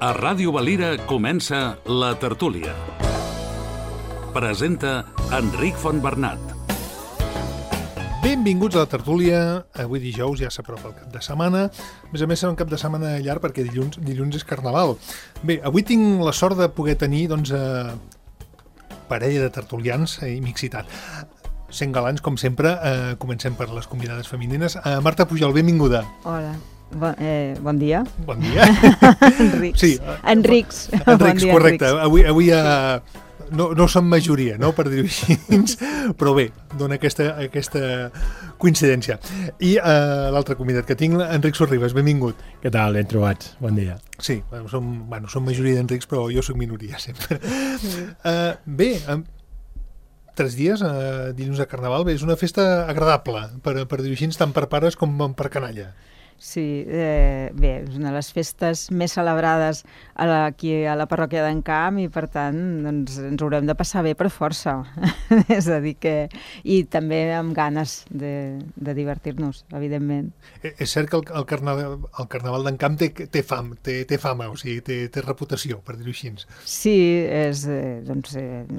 A Ràdio Valira comença La Tertúlia. Presenta Enric Fontbernat. Benvinguts a La Tertúlia. Avui dijous ja s'apropa el cap de setmana. A més serà un cap de setmana llarg perquè dilluns és Carnaval. Bé, avui tinc la sort de poder tenir parella de tertulians i mixitat. Sent galants, com sempre, comencem per les convidades femenines. Marta Pujol, benvinguda. Hola. Bon dia. Bon dia. Enrics. Sí, Enrics. Bon dia, correcte. Enrics. Avui no som majoria, no?, per dir-ho així, però bé, dona aquesta coincidència. I l'altre convidat que tinc, Enric Sorribes, benvingut. Què tal? Ben trobats. Bon dia. Sí, som majoria d'Enrics, però jo soc minoria, sempre. Bé, 3 dies, dilluns de Carnaval, bé, és una festa agradable, per dir-ho així, tant per pares com per canalla. Sí, bé, és una de les festes més celebrades aquí a la parròquia d'en Camp i, per tant, doncs, ens haurem de passar bé per força. És a dir que... I també amb ganes de divertir-nos, evidentment. És cert que el Carnaval d'en Camp té fama, o sigui, té reputació, per dir-ho així. Sí,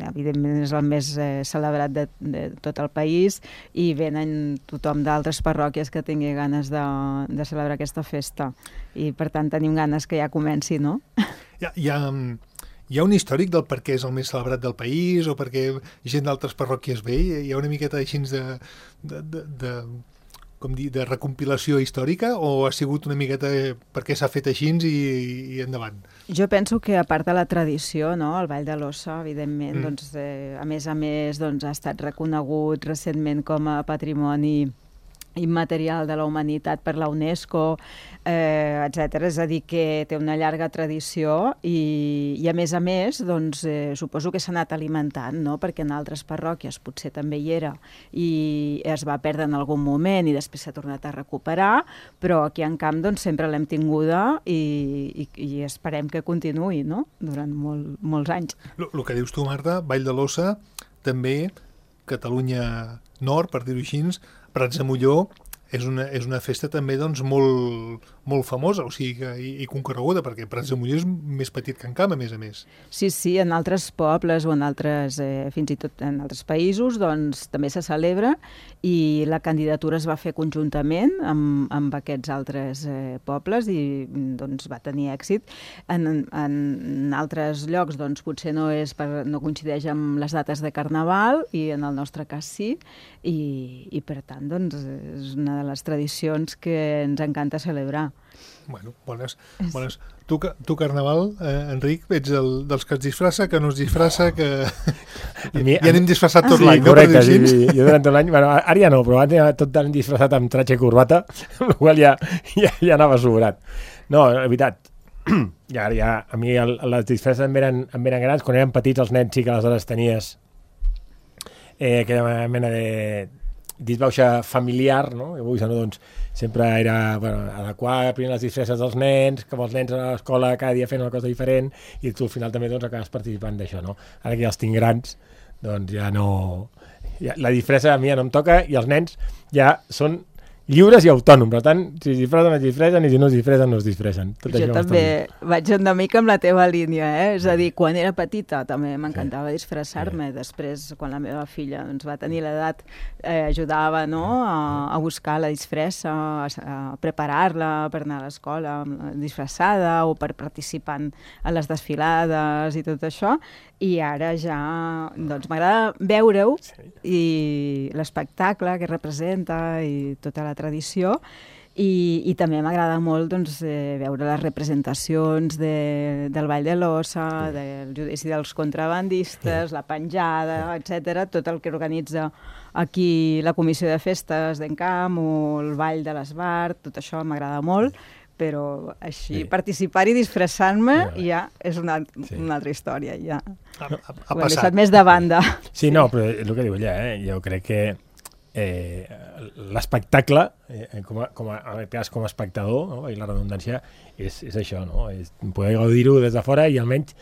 evidentment és el més celebrat de tot el país i venen tothom d'altres parròquies que tingui ganes de celebrar aquesta festa i per tant tenim ganes que ja comenci, no? Hi ha un històric del per què és el més celebrat del país o perquè gent d'altres parròquies ve? Hi ha una miqueta així de recompilació històrica o ha sigut una miqueta perquè s'ha fet així i endavant? Jo penso que a part de la tradició, no? El Ball de l'Ossa, evidentment, doncs, a més, doncs, ha estat reconegut recentment com a patrimoni immaterial de la humanitat per la UNESCO, etc. És a dir, que té una llarga tradició i a més, doncs, suposo que s'ha anat alimentant, no? Perquè en altres parròquies potser també hi era i es va perdre en algun moment i després s'ha tornat a recuperar, però aquí en Camp doncs, sempre l'hem tinguda i esperem que continuï, no? Durant molts anys. El que dius tu, Marta, Vall de l'Ossa, també Catalunya Nord, per dir-ho així, Prats de Molló és una festa també doncs, molt famosa, o sigui, i concorreguda, perquè Prats de Molló és més petit que en Camp, a més. Sí, en altres pobles o en altres, fins i tot en altres països, doncs també se celebra i la candidatura es va fer conjuntament amb aquests altres pobles i doncs va tenir èxit. En altres llocs doncs potser no coincideix amb les dates de Carnaval i en el nostre cas sí, i per tant doncs és una de les tradicions que ens encanta celebrar. Bueno, bones. Tu, Carnaval, Enric, ets dels que es disfressa, que no es disfressa, que ja anem disfressat tot l'any, no? Correcte, sí, jo durant tot l'any, ara ja no, però abans tot l'any disfressat amb tratge i corbata, el qual ja anava sobrat. No, la veritat, a mi les disfresses em venen grans, quan érem petits els nens sí que aleshores tenies aquella mena de disbauxa familiar, no? I avui doncs, sempre era adequar primer les disfresses dels nens, que els nens a l'escola cada dia fent una cosa diferent i tu al final també doncs, acabes participant d'això, no? Ara que ja els tinc grans, doncs ja no... la disfressa a mi ja no em toca i els nens ja són lliures i autònoms, per tant, si es disfressen, es disfressen, i si no es disfressen, no es disfressen. Jo també vaig una mica amb la teva línia, És a dir, quan era petita també m'encantava disfressar-me. Després, quan la meva filla va tenir l'edat, ajudava a buscar la disfressa, a preparar-la per anar a l'escola disfressada o per participar en les desfilades i tot això. I ara ja m'agrada veure-ho i l'espectacle que representa i tota la tradició i també m'agrada molt veure les representacions del Ball de l'Ossa, del judici dels contrabandistes, la penjada, etc. Tot el que organitza aquí la Comissió de Festes d'en Camp o el Ball de l'Esbart, tot això m'agrada molt, però així participar i disfressar-me ja és una altra història, ja ho he deixat més de banda. Sí, no, però és el que diu ella, jo crec que l'espectacle, com a espectador, no? I la redundància, és això, no? És poder gaudir-ho des de fora i almenys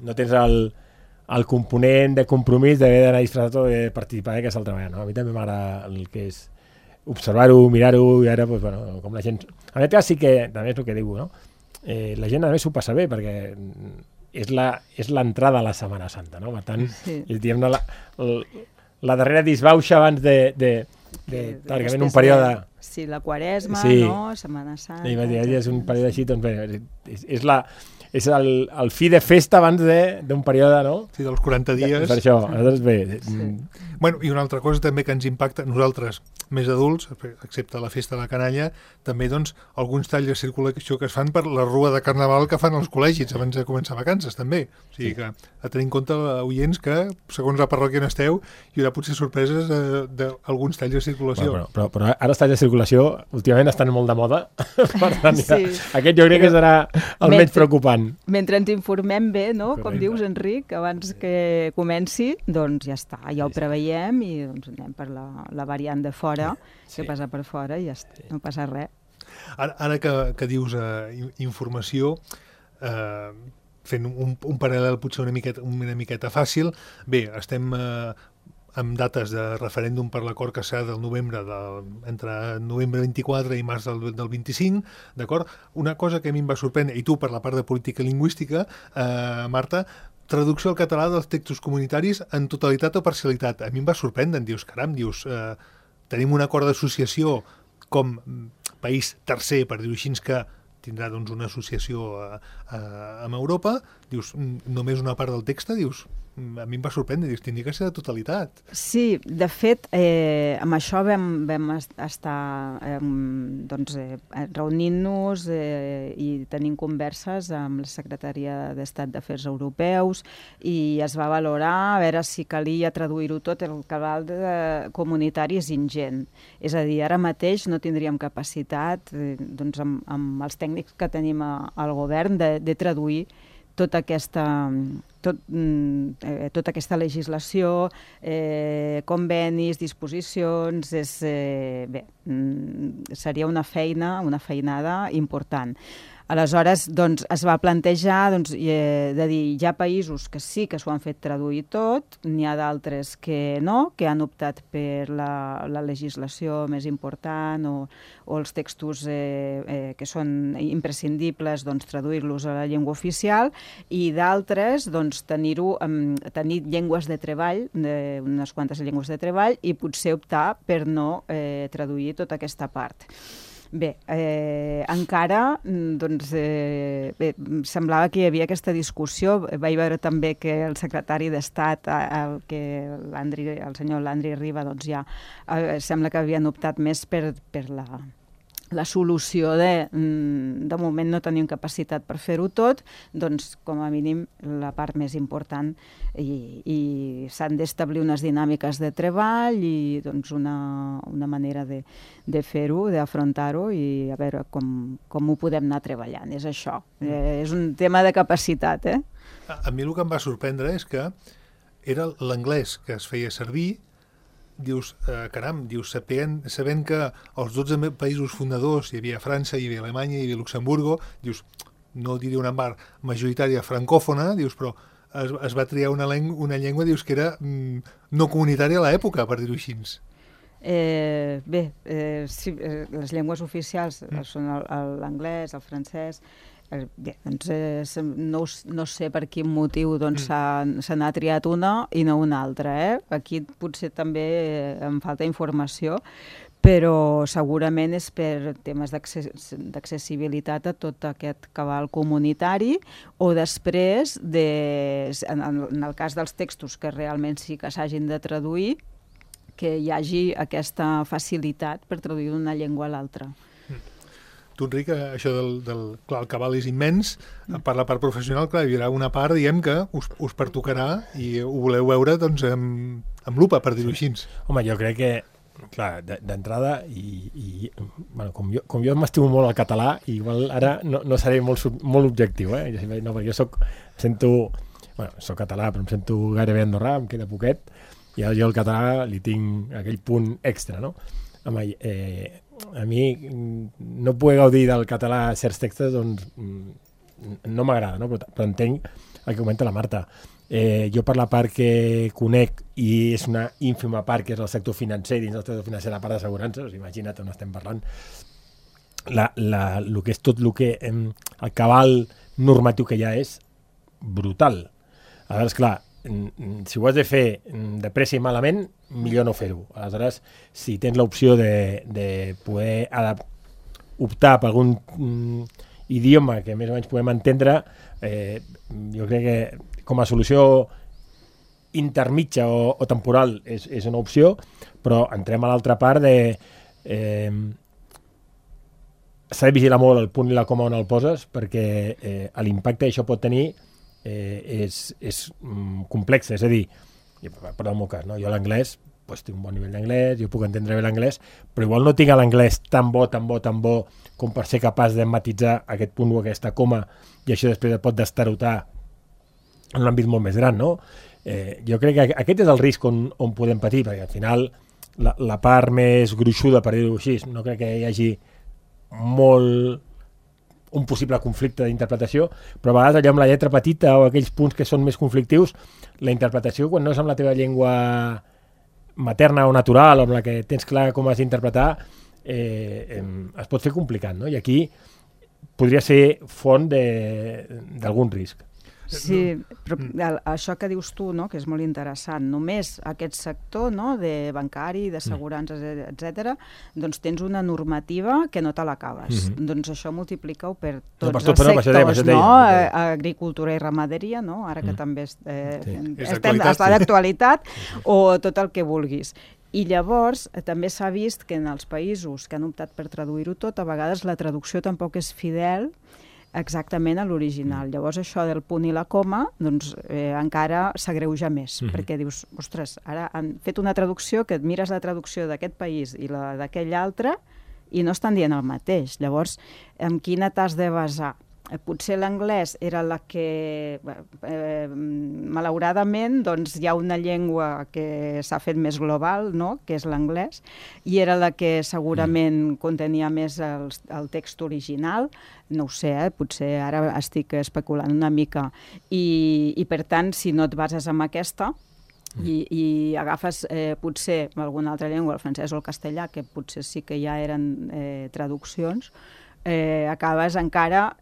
no tens el component de compromís d'haver d'anar disfressat o de participar d'aquesta altra manera, no? A mi també m'agrada el que és observar-ho, mirar-ho, i ara, com la gent... En aquest cas sí que, també és el que diu, no? la gent a més s'ho passa bé, perquè és l'entrada a la Setmana Santa, no? Per tant, diguem-ne, la darrera disbauxa abans de teòricament un període... Sí, la Quaresma, no? Setmana Santa... És un període així, doncs bé, és el fi de festa abans d'un període, no? Sí, dels 40 dies. Per això, aleshores bé... Bueno, i una altra cosa també que ens impacta, nosaltres més adults, excepte la festa de la canalla, també doncs alguns talls de circulació que es fan per la rua de Carnaval que fan els col·legis abans de començar vacances també. O sigui que a tenir en compte, oients, que segons la parròquia on esteu hi haurà potser sorpreses d'alguns talls de circulació. Però ara els talls de circulació últimament estan molt de moda, per tant, aquest jo crec que serà el menys preocupant. Mentre ens informem bé, no? Com dius, Enric, abans que comenci, doncs ja està, ja ho preveiem i doncs anem per la variant de fora, que passa per fora i ja està, no passa res. Ara que dius informació, fent un paral·lel potser una miqueta fàcil, bé, estem amb dates de referèndum per l'acord que s'ha del novembre, entre novembre 24 i març del 25, d'acord? Una cosa que a mi em va sorprendre, i tu per la part de política lingüística, Marta, traducció al català dels textos comunitaris en totalitat o parcialitat. A mi em va sorprendre, dius, caram, tenim un acord d'associació com país tercer, per dir-ho així, que tindrà doncs, una associació amb Europa, dius, només una part del text, dius, a mi em va sorprendre, dius, tindria que ser de totalitat. Sí, de fet, amb això vam estar reunint-nos i tenint converses amb la Secretaria d'Estat d'Afers Europeus i es va valorar a veure si calia traduir-ho tot. El cabal comunitari és ingent. És a dir, ara mateix no tindríem capacitat, doncs, amb els tècnics que tenim al govern, de traduir tota aquesta legislació, convenis, disposicions, seria una feinada important. Aleshores, doncs, es va plantejar de dir, hi ha països que sí que s'ho han fet traduir tot, n'hi ha d'altres que no, que han optat per la legislació més important o els textos que són imprescindibles, doncs, traduir-los a la llengua oficial, i d'altres, doncs, tenir llengües de treball, unes quantes llengües de treball, i potser optar per no traduir tota aquesta part. Bé, encara doncs, semblava que hi havia aquesta discussió. Vaig veure també que el secretari d'Estat, el senyor Landry Riba, doncs ja sembla que havien optat més per la solució de moment no tenim capacitat per fer-ho tot, doncs com a mínim la part més important, i s'han d'establir unes dinàmiques de treball i doncs una manera de fer-ho, d'afrontar-ho i a veure com ho podem anar treballant. És això, és un tema de capacitat. A mi el que em va sorprendre és que era l'anglès que es feia servir. Dius, caram, sabent que els 12 països fundadors, hi havia França, hi havia Alemanya, hi havia Luxemburgo, dius, no diré una part majoritària francòfona, dius, però es va triar una llengua, dius, que era no comunitària a l'època, per dir-ho així. Sí, les llengües oficials són l'anglès, el francès. Bé, doncs no sé per quin motiu se n'ha triat una i no una altra. Aquí potser també em falta informació, però segurament és per temes d'accessibilitat a tot aquest cabal comunitari, o després, en el cas dels textos que realment sí que s'hagin de traduir, que hi hagi aquesta facilitat per traduir d'una llengua a l'altra. Tu, Enric, això clar, el cabal és immens, per la part professional, clar, hi haurà una part, diguem, que us pertocarà i ho voleu veure, doncs, amb lupa, per dir-ho així. Home, jo crec que, clar, d'entrada, bueno, com jo m'estimo molt el català, igual ara no seré molt objectiu, no, perquè jo soc català, però em sento gairebé andorrà, em queda poquet, i jo al català li tinc aquell punt extra, no? Home, a mi no poder gaudir del català a certs textos, doncs no m'agrada, no? Però entenc el que comenta la Marta. Jo per la part que conec, i és una ínfima part, que és el sector financer, dins del sector financer la part d'assegurances, imagina't on estem parlant, el que és tot el que el cabal normatiu que hi ha és brutal. Aleshores, clar, si ho has de fer de pressa i malament, millor no fer-ho. Aleshores, si tens l'opció de poder optar per algun idioma que més o menys podem entendre, jo crec que com a solució intermitja o temporal és una opció, però entrem a l'altra part de s'ha de vigilar molt el punt i la coma on el poses, perquè l'impacte que això pot tenir és complex. És a dir, per el meu cas, no? Jo l'anglès, tinc un bon nivell d'anglès, jo puc entendre bé l'anglès, però igual no tinc l'anglès tan bo com per ser capaç de matitzar aquest punt o aquesta coma, i això després et pot destarotar en un àmbit molt més gran, no? Jo crec que aquest és el risc on podem patir, perquè al final la part més gruixuda, per dir-ho així, no crec que hi hagi un possible conflicte d'interpretació, però a vegades allò amb la lletra petita o aquells punts que són més conflictius, la interpretació, quan no és amb la teva llengua materna o natural, o amb la que tens clar com has d'interpretar, es pot fer complicat, no? I aquí podria ser font d'algun risc. Sí, però això que dius tu, no, que és molt interessant, només aquest sector, no, de bancari, d'assegurances, etc., doncs tens una normativa que no te l'acabes. Doncs això multiplica-ho per tots els sectors, no? Agricultura i ramaderia, no? Ara que també està d'actualitat, o tot el que vulguis. I llavors també s'ha vist que en els països que han optat per traduir-ho tot, a vegades la traducció tampoc és fidel exactament a l'original. Llavors això del punt i la coma doncs encara s'agreuja més, perquè dius, ostres, ara han fet una traducció que et mires la traducció d'aquest país i la d'aquell altre i no estan dient el mateix. Llavors, en quina t'has de basar? Potser l'anglès era la que, malauradament, doncs hi ha una llengua que s'ha fet més global, no?, que és l'anglès, i era la que segurament contenia més el text original. No ho sé, potser ara estic especulant una mica. I per tant, si no et bases en aquesta i agafes potser alguna altra llengua, el francès o el castellà, que potser sí que ja eren traduccions, acabes encara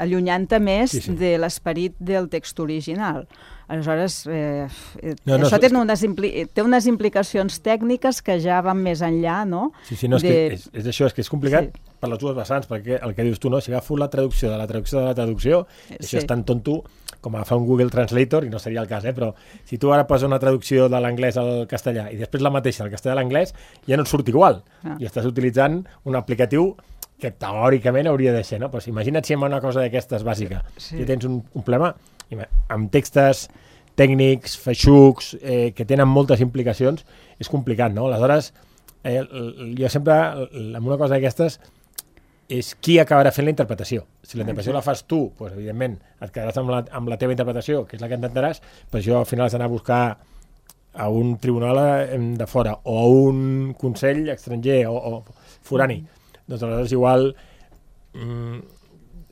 allunyant-te més de l'esperit del text original. Aleshores, això té unes implicacions tècniques que ja van més enllà, no? Sí, no, és això, és que és complicat per les dues vessants, perquè el que dius tu, no? Si agafo la traducció de la traducció de la traducció, això és tan tonto com agafar un Google Translator, i no seria el cas, però si tu ara poses una traducció de l'anglès al castellà i després la mateixa del castellà a l'anglès, ja no et surt igual, i estàs utilitzant un aplicatiu que teòricament hauria de ser, no? Però imagina't si amb una cosa d'aquestes bàsica si tens un problema amb textos tècnics, feixucs, que tenen moltes implicacions, és complicat, no? Aleshores, jo sempre, amb una cosa d'aquestes, és qui acabarà fent la interpretació. Si la interpretació la fas tu, doncs, evidentment, et quedaràs amb la teva interpretació, que és la que entenderàs, però jo al final has d'anar a buscar a un tribunal de fora, o a un consell estranger, o forani. Doncs aleshores igual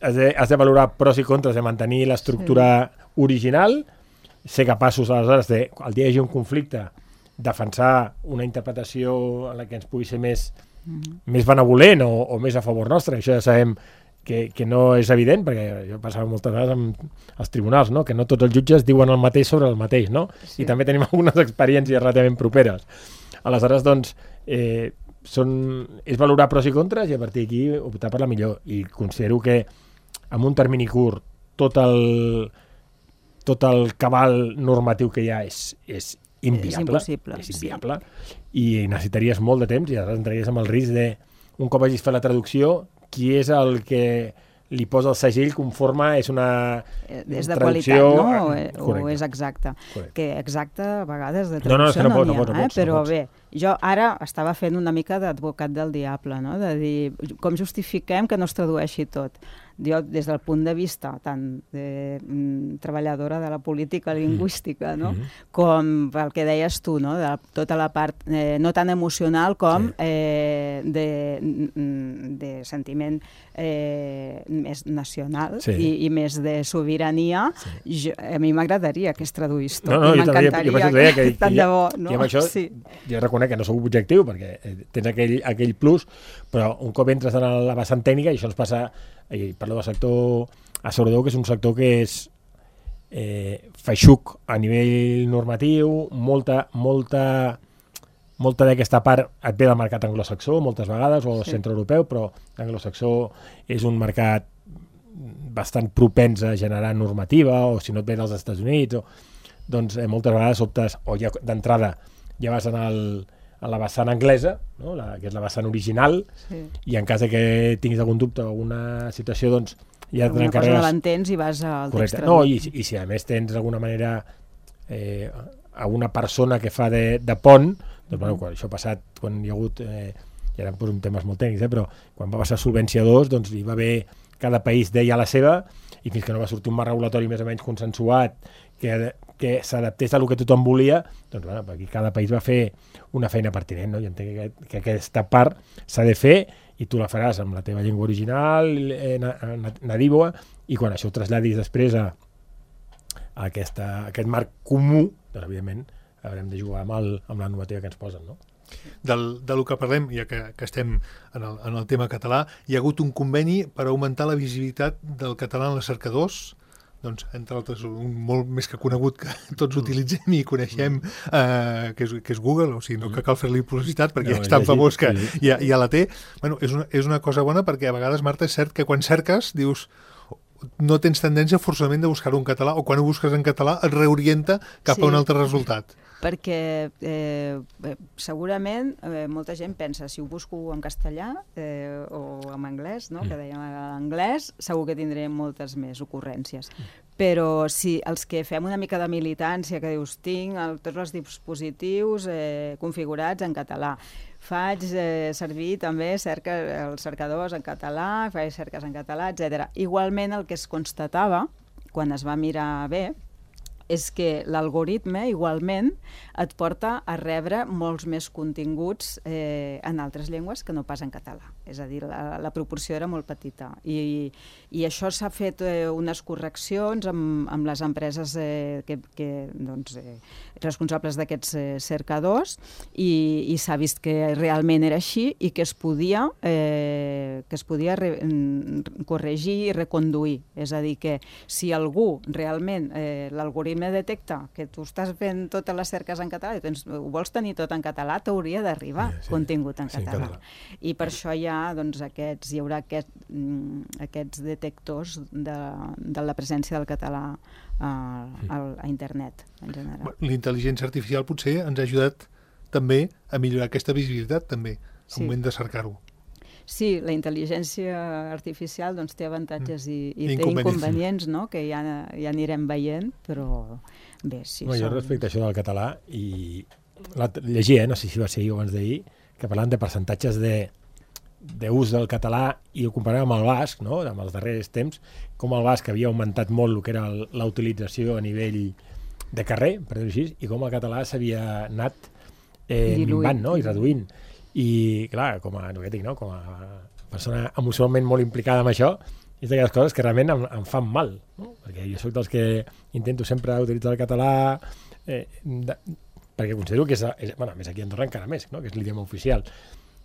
has de valorar pros i contres de mantenir l'estructura original, ser capaços aleshores de, al dia hi hagi un conflicte, defensar una interpretació en la que ens pugui ser més benevolent o més a favor nostre. Això ja sabem que no és evident, perquè jo passava moltes vegades amb els tribunals, no? Que no tots els jutges diuen el mateix sobre el mateix, no? I també tenim algunes experiències relativament properes. Aleshores, doncs, és valorar pros i contres i a partir d'aquí optar per la millor. I considero que en un termini curt tot el cabal normatiu que hi ha és inviable. És inviable. I necessitaries molt de temps i aleshores entraries amb el risc de, un cop hagis fet la traducció, qui és el que li posa el segell conforme és una és de traducció... qualitat, no? O és exacta. Que exacta a vegades de traducció no n'hi ha, però bé, jo ara estava fent una mica d'advocat del diable, no? De dir, com justifiquem que no es tradueixi tot? jo, des del punt de vista tant de treballadora de la política lingüística, no? Com el que deies tu, no? De tota la part no tan emocional com de sentiment més nacional i més de sobirania. A mi m'agradaria que es traduís tot. M'encantaria tant de bo. I amb això jo reconec que no sóc objectiu perquè tens aquell plus, però un cop entres en la vessant tècnica, i això ens passa, i parlo del sector assegurador, que és un sector que és feixuc a nivell normatiu, molta d'aquesta part et ve del mercat anglosaxó moltes vegades, o centroeuropeu, però l'anglosaxó és un mercat bastant propens a generar normativa, o si no et ve dels Estats Units, doncs moltes vegades optes, o ja d'entrada ja vas a la vessant anglesa, no? Que és la vessant original, i en cas que tinguis algun dubte o alguna situació, doncs ja alguna cosa no l'entens i vas al text traduït. No, i si a més tens d'alguna manera a una persona que fa de pont, doncs bueno, quan això ha passat, quan hi ha hagut, i ara em temes molt tècnics, però quan va passar Solvència 2, doncs hi va haver, cada país deia la seva, i fins que no va sortir un marc regulatori més o menys consensuat, que s'adaptés a el que tothom volia, doncs bueno, aquí cada país va fer una feina pertinent, no? I entenc que aquesta part s'ha de fer, i tu la faràs amb la teva llengua original, nadiua, i quan això ho traslladis després a aquest marc comú, doncs evidentment haurem de jugar amb la normativa que ens posen, no? Del que parlem, ja que estem en el tema català, hi ha hagut un conveni per augmentar la visibilitat del català en les cercadors, doncs, entre altres, un molt més que conegut que tots utilitzem i coneixem, que és Google, o sigui, no que cal fer-li publicitat perquè és tan famós que ja la té. Bueno, és una cosa bona perquè a vegades, Marta, és cert que quan cerques dius no tens tendència forçament de buscar-ho en català, o quan ho busques en català et reorienta cap a un altre resultat. Perquè segurament molta gent pensa, si ho busco en castellà o en anglès, no? Que dèiem l'anglès, segur que tindré moltes més ocurrències. Però si els que fem una mica de militància, que dius, tinc tots els dispositius configurats en català, faig servir també els cercadors en català, faig cerques en català, etc. Igualment el que es constatava, quan es va mirar bé, és que l'algoritme igualment et porta a rebre molts més continguts en altres llengües que no pas en català. És a dir, la proporció era molt petita. I això s'ha fet unes correccions amb les empreses responsables d'aquests cercadors i s'ha vist que realment era així i que es podia corregir i reconduir. És a dir, que si algú realment l'algoritme detecta que tu estàs fent totes les cerques en català i ho vols tenir tot en català, t'hauria d'arribar contingut en català. I per això hi haurà aquests detectors de la presència del català a internet, en general. L'intel·ligència artificial potser ens ha ajudat també a millorar aquesta visibilitat, també, al moment de cercar-ho. Sí, la intel·ligència artificial té avantatges i té inconvenients, no? Que ja anirem veient, però bé, sí. Jo respecte a això del català, i llegia, no sé si va ser abans d'ahir, que parlant de percentatges d'ús del català i ho comparàvem amb el basc, no? Amb els darrers temps, com el basc havia augmentat molt el que era la utilització a nivell de carrer, per dir-ho així, i com el català s'havia anat minvant, no? I reduint. I clar, com a persona emocionalment molt implicada amb això, és d'aquelles coses que realment em fan mal, no? Perquè jo soc dels que intento sempre utilitzar el català perquè considero que és més aquí a Andorra encara més, no? Que és l'idioma oficial.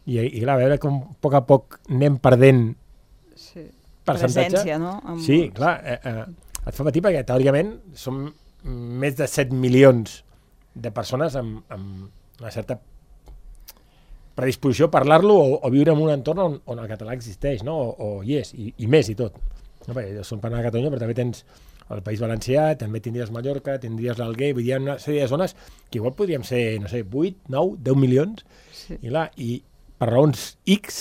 I clar, a veure com a poc anem perdent percentatge. Presència, no? Sí, clar, et fa patir perquè teòricament som més de 7 milions de persones amb una certa predisposició a parlar-lo o viure en un entorn on el català existeix, no? O hi és, i més i tot. No, perquè som parlant de Catalunya, però també tens el País Valencià, també tindries Mallorca, tindries l'Alguer, vull dir, hi ha una sèrie de zones que igual podríem ser, no sé, 8, 9, 10 milions, i per raons X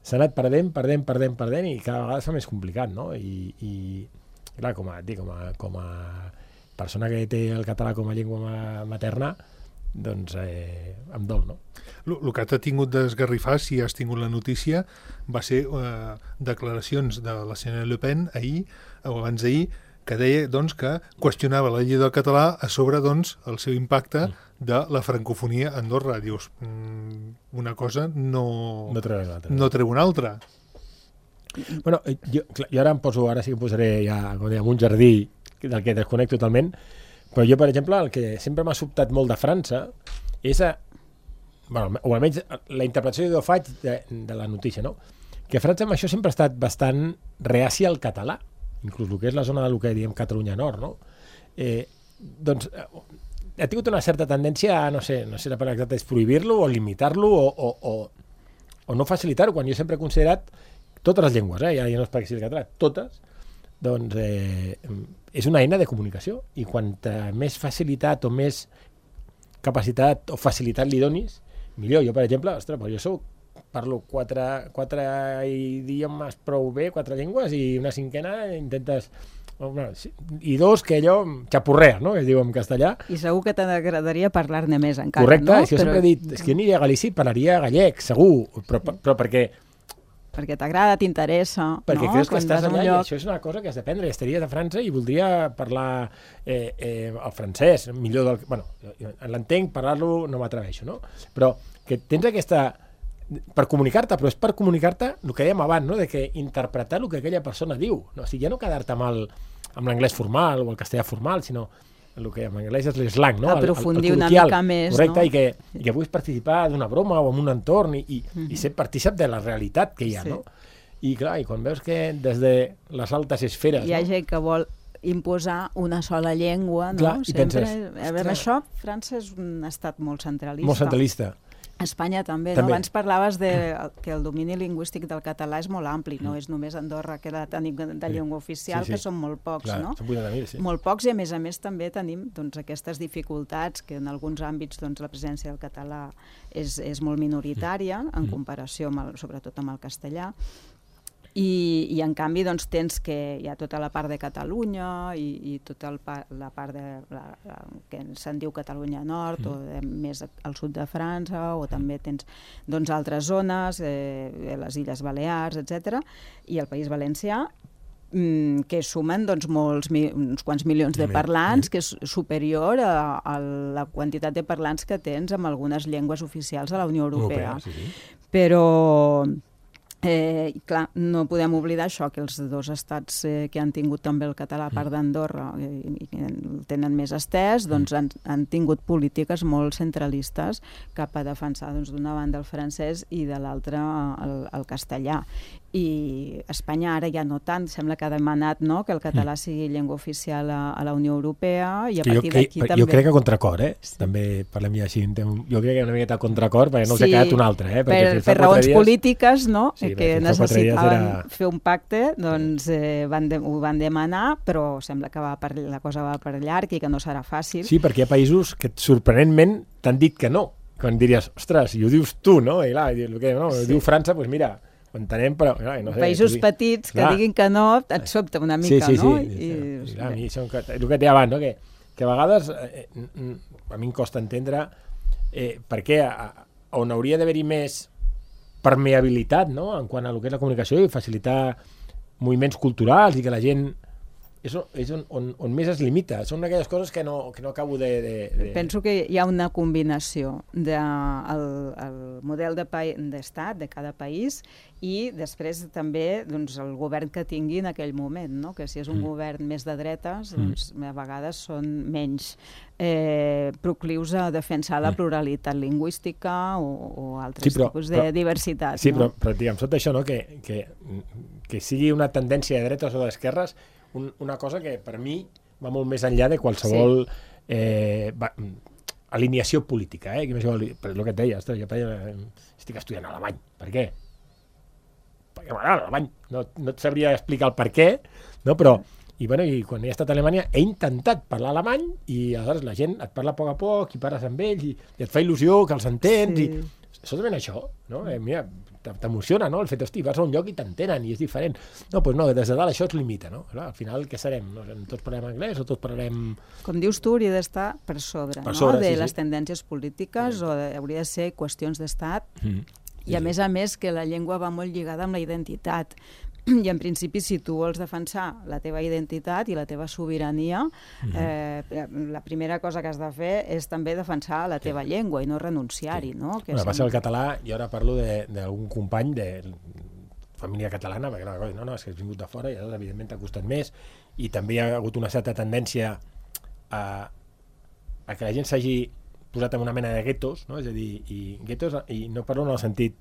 s'ha anat perdent, i cada vegada es fa més complicat, no? I clar, com a persona que té el català com a llengua materna, doncs em dol, no? El que t'ha tingut d'esgarrifar, si has tingut la notícia, va ser declaracions de la senyora Le Pen ahir, o abans d'ahir, que deia doncs, que qüestionava la llei del català a sobre doncs, el seu impacte de la francofonia a Andorra. Dius, una cosa no treu una altra. Bueno, jo ara sí que em posaré ja, com dèiem, un jardí del que desconec totalment, però jo, per exemple, el que sempre m'ha sobtat molt de França és bueno, o almenys la interpretació que jo faig de la notícia, no? Que França amb això sempre ha estat bastant reaci al català, inclús el que és la zona del que diem Catalunya Nord, no? Doncs ha tingut una certa tendència a, no sé la paraula exacta és prohibir-lo o limitar-lo o no facilitar-ho, quan jo sempre he considerat totes les llengües, ja no és perquè sigui el català, totes, doncs és una eina de comunicació, i quanta més facilitat o més capacitat o facilitat li donis, millor. Jo, per exemple, jo parlo quatre idiomes prou bé, 4 llengües, i una 5a intentes... i 2 que allò xapurrea, no?, que es diu en castellà. I segur que t'agradaria parlar-ne més encara, correcte, no? Correcte, jo sempre he dit, és que jo aniria a Galícia i parlaria gallec, segur, però perquè t'agrada, t'interessa, perquè creus que estàs allà, i això és una cosa que has d'aprendre. Estaries a França i voldria parlar el francès, millor del... Bueno, l'entenc, parlar-lo no m'atreveixo, no? Però que tens aquesta... Per comunicar-te, però és per comunicar-te el que dèiem abans, no? De que interpretar el que aquella persona diu. No? O sigui, ja no quedar-te amb l'anglès formal o el castellà formal, sinó el que en anglès és l'eslang, no? Aprofundir una mica més, correcte, no? I que puguis participar d'una broma o en un entorn i ser partícip de la realitat que hi ha, no? I clar, i quan veus que des de les altes esferes... Hi ha gent que vol imposar una sola llengua, no? Clar, i penses... A veure, això, França és un estat molt centralista. Molt centralista. Espanya també, no? Abans parlaves que el domini lingüístic del català és molt ampli, no és només Andorra, que tenim de llengua oficial, que són molt pocs, clar, no? Són 80.000, sí. Molt pocs, i a més també tenim doncs, aquestes dificultats que en alguns àmbits doncs, la presència del català és molt minoritària en comparació sobretot amb el castellà. I en canvi doncs, tens que hi ha tota la part de Catalunya i tota la part que se'n diu Catalunya Nord o més al sud de França, o també tens doncs, altres zones, les Illes Balears, etc. I el País Valencià, que sumen doncs, uns quants milions de parlants, que és superior a la quantitat de parlants que tens amb algunes llengües oficials de la Unió Europea. Però... clar, no podem oblidar això, que els 2 estats que han tingut també el català a part d'Andorra i que el tenen més estès, doncs han tingut polítiques molt centralistes cap a defensar d'una banda el francès i de l'altra el castellà. I Espanya ara ja no tant, sembla que ha demanat que el català sigui llengua oficial a la Unió Europea, i a partir d'aquí també... Jo crec que a contracor, també parlem ja així, jo crec que una miqueta a contracor, perquè no us ha quedat un altre. Per raons polítiques, no?, que necessitaven fer un pacte, doncs ho van demanar, però sembla que la cosa va per llarg i que no serà fàcil. Sí, perquè hi ha països que sorprenentment t'han dit que no, quan diries, ostres, i ho dius tu, no? I clar, ho diu França, doncs mira, ho entenem, però... no sé, països petits que diguin que no, et sobta una mica, no? Sí. A mi el que deia abans, no? Que a vegades a mi em costa entendre per què on hauria d'haver-hi més permeabilitat, no?, en quant a el que és la comunicació, i facilitar moviments culturals i que la gent... És on més es limita. Són aquelles coses que no acabo de... Penso que hi ha una combinació del model d'estat de cada país i després també el govern que tingui en aquell moment, no? Que si és un govern més de dretes, doncs a vegades són menys proclius a defensar la pluralitat lingüística o altres tipus de diversitat. Sí, però diguem, sota això, no? Que sigui una tendència de dretes o d'esquerres, una cosa que per mi va molt més enllà de qualsevol alineació política, que per el que et deia, jo estic estudiant alemany. Per què? Perquè m'agrada alemany. No et sabria explicar el per què, no? Però i quan he estat a Alemanya he intentat parlar alemany, i aleshores la gent et parla a poc i parles amb ells i et fa il·lusió que els entens, i solament això, no? Mira, t'emociona, no? El fet, hosti, vas a un lloc i t'entenen i és diferent. No, doncs no, des de dalt això es limita, no? Clar, al final, què serem? No? Tots parlarem anglès o tots parlarem... Com dius tu, hauria d'estar per sobre, de les tendències polítiques o hauria de ser qüestions d'estat i a més que la llengua va molt lligada amb la identitat. I en principi, si tu vols defensar la teva identitat i la teva sobirania, la primera cosa que has de fer és també defensar la teva llengua i no renunciar-hi. No? Va ser el català, i ara parlo d'un company de família catalana, perquè no, és que has vingut de fora i evidentment t'ha costat més, i també hi ha hagut una certa tendència a que la gent s'hagi posat en una mena de guetos, no? És a dir, i guetos, i no parlo en el sentit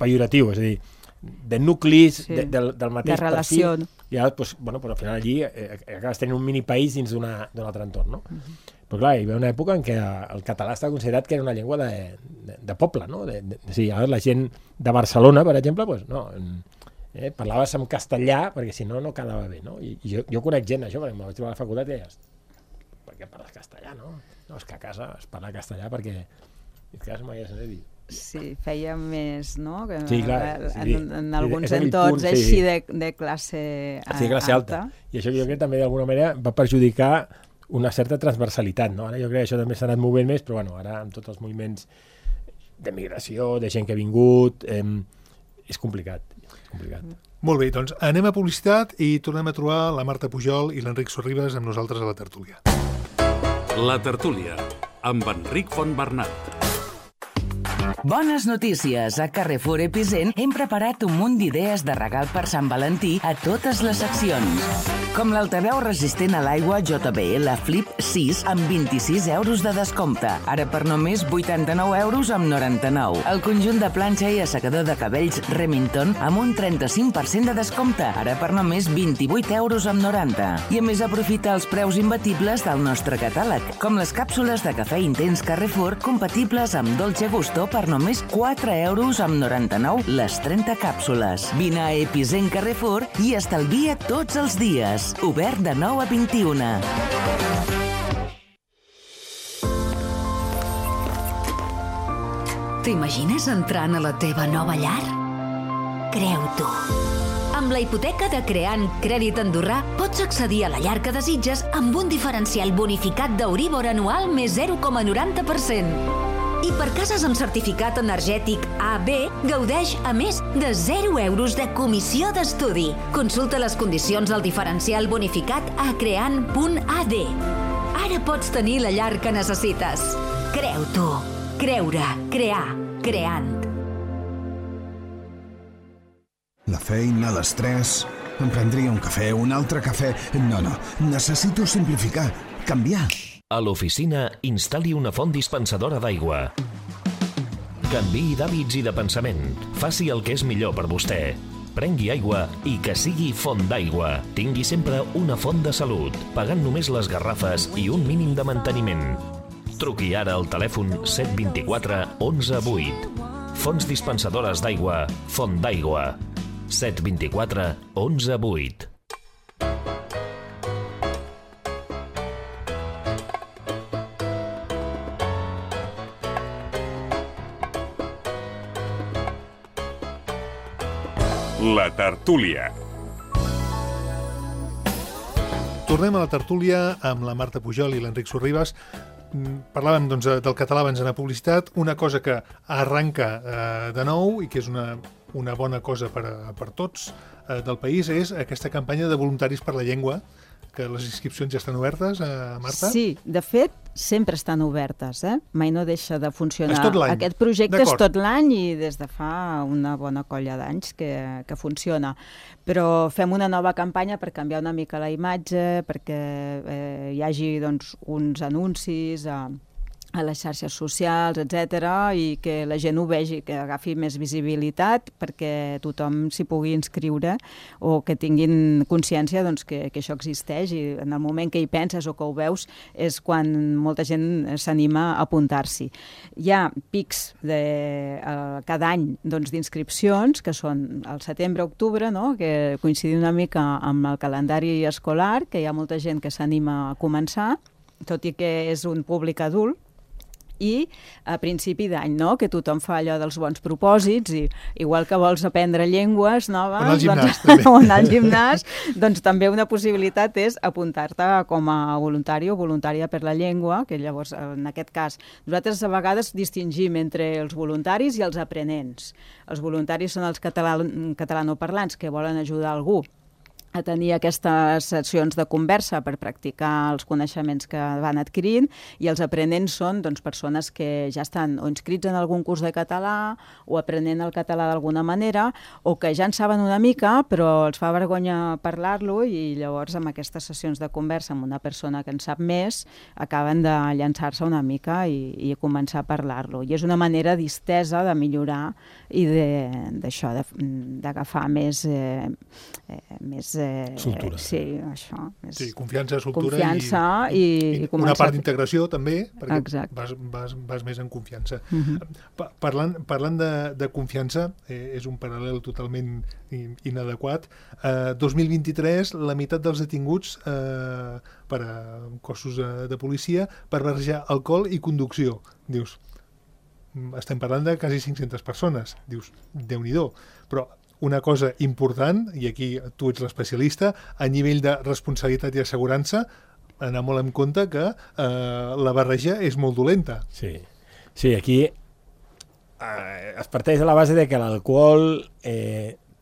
pejoratiu, és a dir, de nuclis del mateix de relació. I ara, doncs, al final allí acabes tenint un mini país dins d'un altre entorn, no? Però clar, hi havia una època en què el català estava considerat que era una llengua de poble, no? Ara la gent de Barcelona, per exemple, parlaves en castellà perquè si no, no quedava bé, no? I jo conec gent això, perquè me vaig trobar a la facultat i deies, per què parles castellà, no? No, és que a casa es parla castellà perquè és que mai has de dir. Sí, feia més, no? Sí, clar. En alguns entorns així de classe alta. Sí, classe alta. I això jo crec que també d'alguna manera va perjudicar una certa transversalitat, no? Ara jo crec que això també s'ha anat movent més, però ara amb tots els moviments de migració, de gent que ha vingut, és complicat. Molt bé, doncs anem a publicitat i tornem a trobar la Marta Pujol i l'Enric Sorribes amb nosaltres a la tertúlia. La tertúlia, amb Enric Fontbernat. Bones notícies! A Carrefour Epicent hem preparat un munt d'idees de regal per Sant Valentí a totes les seccions. Com l'altaveu resistent a l'aigua JBL Flip 6 amb 26 euros de descompte. Ara per només 89 euros amb 99. El conjunt de planxa i assecador de cabells Remington amb un 35% de descompte. Ara per només 28 euros amb 90. I a més aprofita els preus imbatibles del nostre catàleg, com les càpsules de cafè intens Carrefour compatibles amb Dolce Gusto per només 4 euros amb 99 les 30 càpsules. Vine a Epicent Carrefour i estalvia tots els dies. Obert de 9 a 21. T'imagines entrant a la teva nova llar? Creu-t'ho. Amb la hipoteca de Creant Crèdit Andorrà pots accedir a la llar que desitges amb un diferencial bonificat d'Euríbor anual més 0,90%. I per cases amb certificat energètic AB, gaudeix a més de 0 euros de comissió d'estudi. Consulta les condicions del diferencial bonificat a creant.ad. Ara pots tenir la llar que necessites. Creu-t'ho. Creure. Crear. Creant. La feina, l'estrès... Em prendria un cafè, un altre cafè... No, necessito simplificar, canviar. A l'oficina, instal·li una font dispensadora d'aigua. Canviï d'hàbits i de pensament. Faci el que és millor per vostè. Prengui aigua i que sigui font d'aigua. Tingui sempre una font de salut, pagant només les garrafes i un mínim de manteniment. Truqui ara al telèfon 724 11 8. Fonts dispensadores d'aigua, Font d'aigua. 724 11 8. La tertúlia. Tornem a la tertúlia amb la Marta Pujol i l'Enric Sorribes. Parlàvem doncs, del català abans d'anar a publicitat. Una cosa que arranca de nou i que és una bona cosa per tots del país és aquesta campanya de voluntaris per la llengua, que les inscripcions ja estan obertes, Marta? Sí, de fet, sempre estan obertes, mai no deixa de funcionar. És tot l'any. Aquest projecte és tot l'any i des de fa una bona colla d'anys que funciona. Però fem una nova campanya per canviar una mica la imatge, perquè hi hagi doncs, uns anuncis a les xarxes socials, etc., i que la gent ho vegi, que agafi més visibilitat perquè tothom s'hi pugui inscriure o que tinguin consciència doncs, que això existeix, i en el moment que hi penses o que ho veus és quan molta gent s'anima a apuntar-s'hi. Hi ha pics cada any d'inscripcions, que són al setembre-octubre, no? Que coincidim una mica amb el calendari escolar, que hi ha molta gent que s'anima a començar, tot i que és un públic adult, i a principi d'any, no? Que tothom fa allò dels bons propòsits i igual que vols aprendre llengües noves... O anar al gimnàs, també. O anar al gimnàs, doncs també una possibilitat és apuntar-te com a voluntari o voluntària per la llengua, que llavors, en aquest cas, nosaltres a vegades distingim entre els voluntaris i els aprenents. Els voluntaris són els catalanoparlants que volen ajudar algú a tenir aquestes sessions de conversa per practicar els coneixements que van adquirint, i els aprenents són doncs, persones que ja estan o inscrits en algun curs de català o aprenent el català d'alguna manera, o que ja en saben una mica però els fa vergonya parlar-lo, i llavors amb aquestes sessions de conversa amb una persona que en sap més acaben de llançar-se una mica i començar a parlar-lo. I és una manera distesa de millorar i d'això, d'agafar més soltura. Sí, això. Sí, confiança, soltura i una part d'integració també, perquè Exacte. vas més en confiança. Parlant de confiança, és un paral·lel totalment inadequat. 2023, la meitat dels detinguts per a cossos de policia per barrejar alcohol i conducció. Dius, estem parlant de quasi 500 persones. Dius, Déu-n'hi-do. Però una cosa important, i aquí tu ets l'especialista, a nivell de responsabilitat i assegurança, anar molt en compte que la barreja és molt dolenta. Sí, aquí es parteix de la base de que l'alcohol,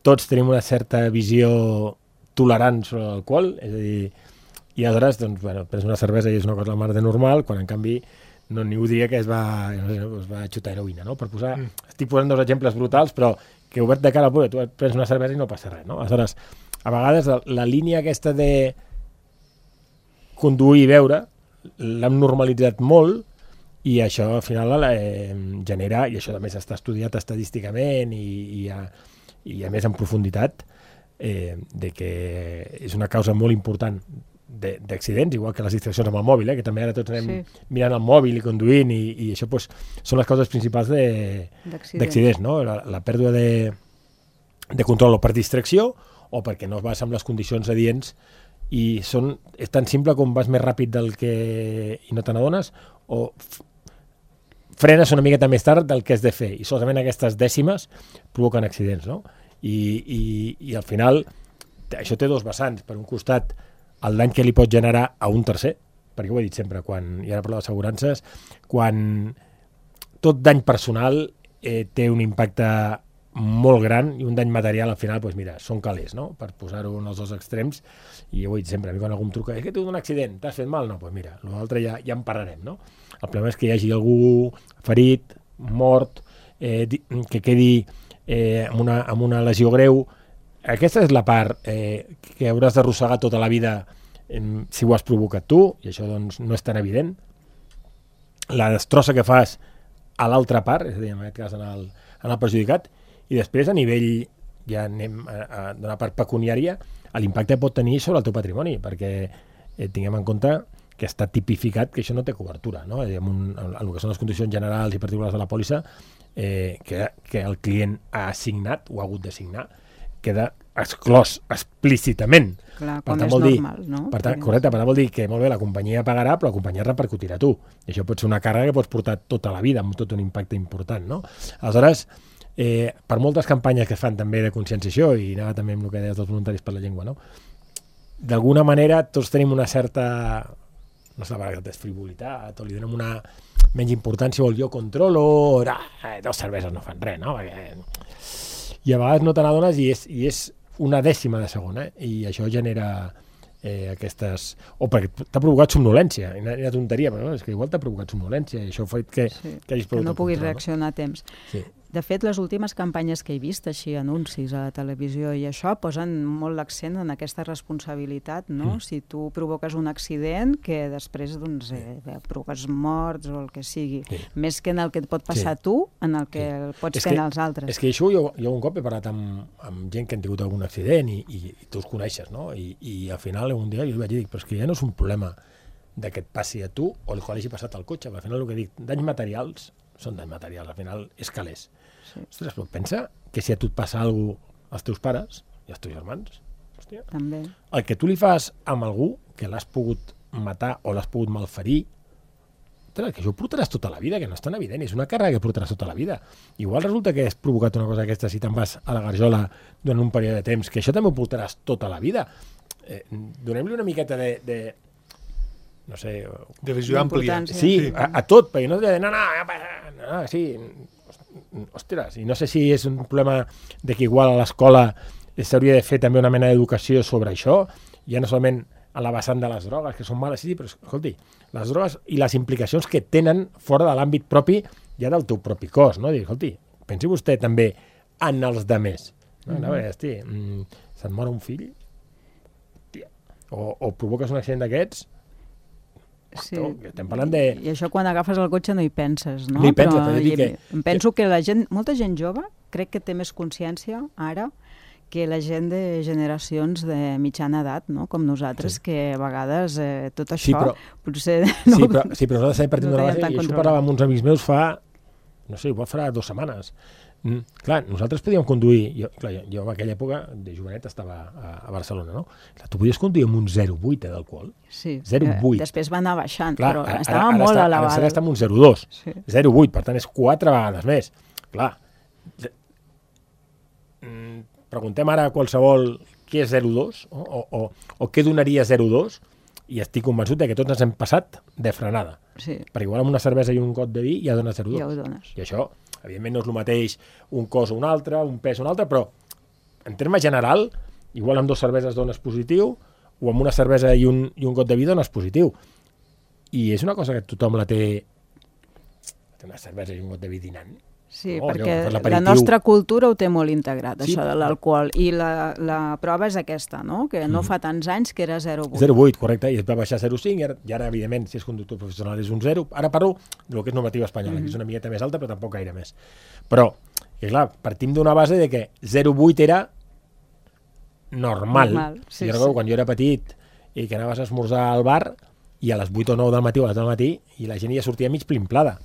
tots tenim una certa visió tolerant sobre l'alcohol, és a dir, i aleshores, doncs, prens una cervesa i és una cosa la mar de normal, quan en canvi no ningú diria que es va xutar heroïna, no? Estic posant dos exemples brutals, però que obert de cara al públic, tu prens una cervesa i no passa res, no? Aleshores, a vegades la línia aquesta de conduir i beure l'hem normalitzat molt, i això al final genera, i això també s'està estudiat estadísticament i a més en profunditat, de que és una causa molt important d'accidents, igual que les distraccions amb el mòbil, que també ara tots anem mirant el mòbil i conduint, i això són les causes principals d'accidents, no? La pèrdua de control o per distracció o perquè no vas amb les condicions adients, i és tan simple com vas més ràpid i no te n'adones, o frenes una miqueta més tard del que has de fer, i solament aquestes dècimes provoquen accidents, no? I al final això té dos vessants. Per un costat, el dany que li pot generar a un tercer, perquè ho he dit sempre, i ara parlo d'assegurances, quan tot dany personal té un impacte molt gran, i un dany material al final, doncs mira, són calés, no? Per posar-ho en els dos extrems, i ho he dit sempre, a mi quan algú em truca, que tinc un accident, t'has fet mal? No, doncs mira, l'altre ja en parlarem, no? El problema és que hi hagi algú ferit, mort, que quedi amb una lesió greu. Aquesta és la part que hauràs d'arrossegar tota la vida si ho has provocat tu, i això doncs no és tan evident. La destrossa que fas a l'altra part, és a dir, en aquest cas en el perjudicat, i després a nivell, ja anem d'una part pecuniària, l'impacte pot tenir sobre el teu patrimoni, perquè tinguem en compte que està tipificat que això no té cobertura, no? En el que són les condicions generals i particulars de la pòlissa, que el client ha assignat o ha hagut d'assignar, queda exclòs explícitament. Clar, com és normal, no? Correcte, per tant vol dir que molt bé, la companyia pagarà, però la companyia repercutirà a tu. I això pot ser una càrrega que pots portar tota la vida, amb tot un impacte important, no? Aleshores, per moltes campanyes que es fan també de conscienciació, i anava també amb el que deies dels voluntaris per la llengua, no? D'alguna manera tots tenim una certa, no sé la veritat, és frivolitat, o li donem una menys importància, o jo controlo, dos cerveses no fan res, no? I a vegades no te n'adones, i és una dècima de segon, i això genera aquestes... O perquè t'ha provocat somnolència, una tonteria, però és que igual t'ha provocat somnolència, i això ha fet que hagis que no puguis reaccionar a temps. Sí. De fet, les últimes campanyes que he vist, així, anuncis a la televisió i això, posen molt l'accent en aquesta responsabilitat, no? Si tu provoques un accident, que després, doncs, provoques morts o el que sigui, més que en el que et pot passar a tu, en el que pots fer als altres. És que això jo un cop he parlat amb gent que han tingut algun accident i tu els coneixes, no? I al final, un dia, jo li vaig dir, però és que ja no és un problema de que et passi a tu o el que hagi passat al cotxe, al final el que dic, danys materials són danys materials, al final és calés. Ostres, però pensa que si a tu et passa alguna cosa als teus pares i als teus germans, hòstia, també. El que tu li fas amb algú que l'has pogut matar o l'has pogut malferir ostres, que això ho portaràs tota la vida, que no és tan evident, és una càrrega que portaràs tota la vida. Igual resulta que has provocat una cosa d'aquesta si te'n vas a la garjola durant un període de temps, que això també ho portaràs tota la vida. Donem-li una miqueta de no sé... De visió àmplia. Sí, a tot, perquè no de no, sí, ostres, i no sé si és un problema de que igual a l'escola s'hauria de fer també una mena d'educació sobre això, ja no solament a la vessant de les drogues, que són males, sí, però escolti, les drogues i les implicacions que tenen fora de l'àmbit propi ja del teu propi cos, no? Dir, escolti, pensi vostè també en els demés. No? A veure, se'n mor un fill, tia, o provoques un accident d'aquests, sí. Estem parlant de... I això quan agafes el cotxe no hi penses, no? No hi penses, però dir que... Em penso que la gent, molta gent jove crec que té més consciència ara que la gent de generacions de mitjana edat, no? Com nosaltres, que a vegades tot això... Sí, però, potser no, sí, però nosaltres partim d'una base, i això parlava amb uns amics meus fa, no sé, igual farà 2 setmanes. Clar, nosaltres podíem conduir, jo en aquella època de jovenet estava a Barcelona, no? Clar, tu podies conduir amb un 0,8 d'alcohol. Sí, 0,8. Després va anar baixant, clar, però estava molt elevat. Ara està amb un 0,2. Sí. 0,8, per tant és 4 vegades més. Clar, preguntem ara a qualsevol què és 0,2 o què donaria 0,2 i estic convençut que tots ens hem passat de frenada. Sí. Perquè igual amb una cervesa i un got de vi ja dones 0,2. Ja ho dones. I això, evidentment, no és el mateix un cos o un altre, un pes o un altre, però en terme general, igual amb 2 cerveses dones positiu o amb una cervesa i un got de vi dones positiu. I és una cosa que tothom la té una cervesa i un got de vi dinant. Sí, perquè la nostra cultura ho té molt integrat, sí, això de l'alcohol. I la prova és aquesta, no? Que no fa tants anys que era 0,8. 0,8, correcte, i es va baixar a 0,5, i ara, evidentment, si és conductor professional és un 0. Ara parlo del que és normativa espanyola, que és una miqueta més alta, però tampoc gaire més. Però, que clar, partim d'una base de que 0,8 era normal. Sí, jo recordo quan jo era petit i que anaves a esmorzar al bar i a les 8 o 9 del matí o a les 10 del matí i la gent ja sortia mig plimplada.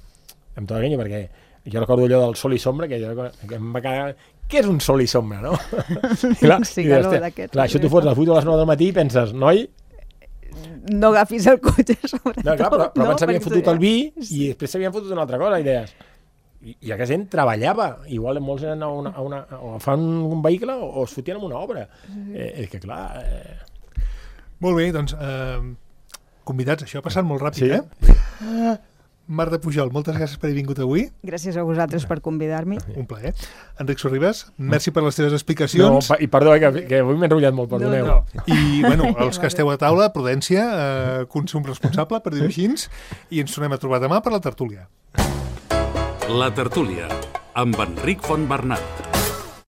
Amb tot el perquè jo recordo allò del sol i sombra, que em va quedar... Què és un sol i sombra, no? I clar, sí, clar, això tu fots a les 8 o a les 9 del matí i penses, noi... No agafis el cotxe, sobretot. No, clar, però abans s'havien fotut el vi i després s'havien fotut una altra cosa, idees. I aquesta gent treballava. Igual molts eren o fan un vehicle o es fotien en una obra. És que clar... Molt bé, doncs, convidats, això ha passat molt ràpid, eh? Marta Pujol, moltes gràcies per haver vingut avui. Gràcies a vosaltres per convidar-me. Un plaer. Enric Sorribas, merci per les teves explicacions. No, i perdó, que avui m'he enrotllat molt, perdoneu. No. I, bueno, els que esteu a taula, prudència, consum responsable, per dir-ho així, i ens tornem a trobar demà per la tertúlia. La tertúlia, amb Enric Fontbernat.